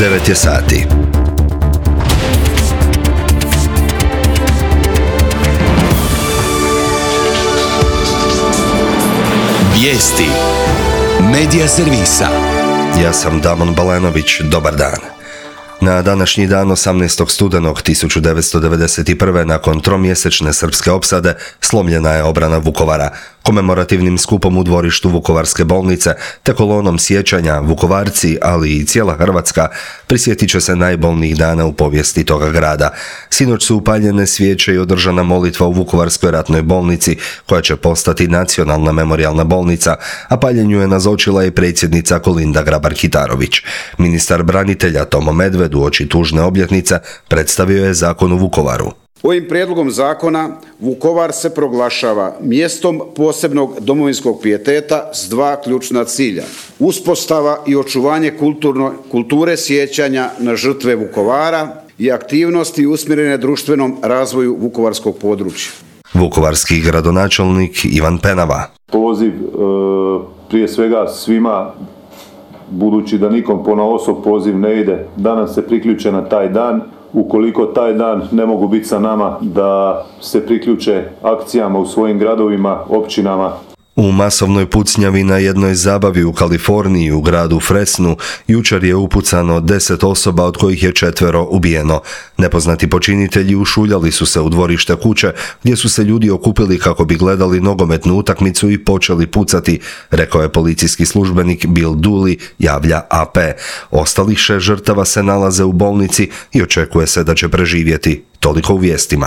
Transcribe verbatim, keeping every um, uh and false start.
devet je sati. Vijesti Medija servisa. Ja sam Damon Balenović, dobar dan. Na današnji dan osamnaestog studenog tisuću devetsto devedeset prve. nakon tromjesečne srpske opsade slomljena je obrana Vukovara. Komemorativnim skupom u dvorištu Vukovarske bolnice te kolonom sjećanja Vukovarci, ali i cijela Hrvatska prisjetit će se najbolnijih dana u povijesti toga grada. Sinoć su upaljene svijeće i održana molitva u Vukovarskoj ratnoj bolnici, koja će postati nacionalna memorijalna bolnica, a paljenju je nazočila i predsjednica Kolinda Grabar-Kitarović. Ministar branitelja Tomo Medved uoči tužne obljetnice predstavio je zakon u Vukovaru. Ovim prijedlogom zakona Vukovar se proglašava mjestom posebnog domovinskog pijeteta s dva ključna cilja. Uspostava i očuvanje kulturno, kulture sjećanja na žrtve Vukovara i aktivnosti usmjerene društvenom razvoju vukovarskog područja. Vukovarski gradonačelnik Ivan Penava. Poziv e, prije svega svima, budući da nikom ponaosob poziv ne ide, danas se priključe na taj dan. Ukoliko taj dan ne mogu biti sa nama, da se priključe akcijama u svojim gradovima, općinama. U masovnoj pucnjavi na jednoj zabavi u Kaliforniji u gradu Fresnu jučer je upucano deset osoba, od kojih je četvero ubijeno. Nepoznati počinitelji ušuljali su se u dvorište kuće gdje su se ljudi okupili kako bi gledali nogometnu utakmicu i počeli pucati, rekao je policijski službenik Bill Dooley, javlja A P. Ostalih šest žrtava se nalaze u bolnici i očekuje se da će preživjeti. Toliko u vijestima.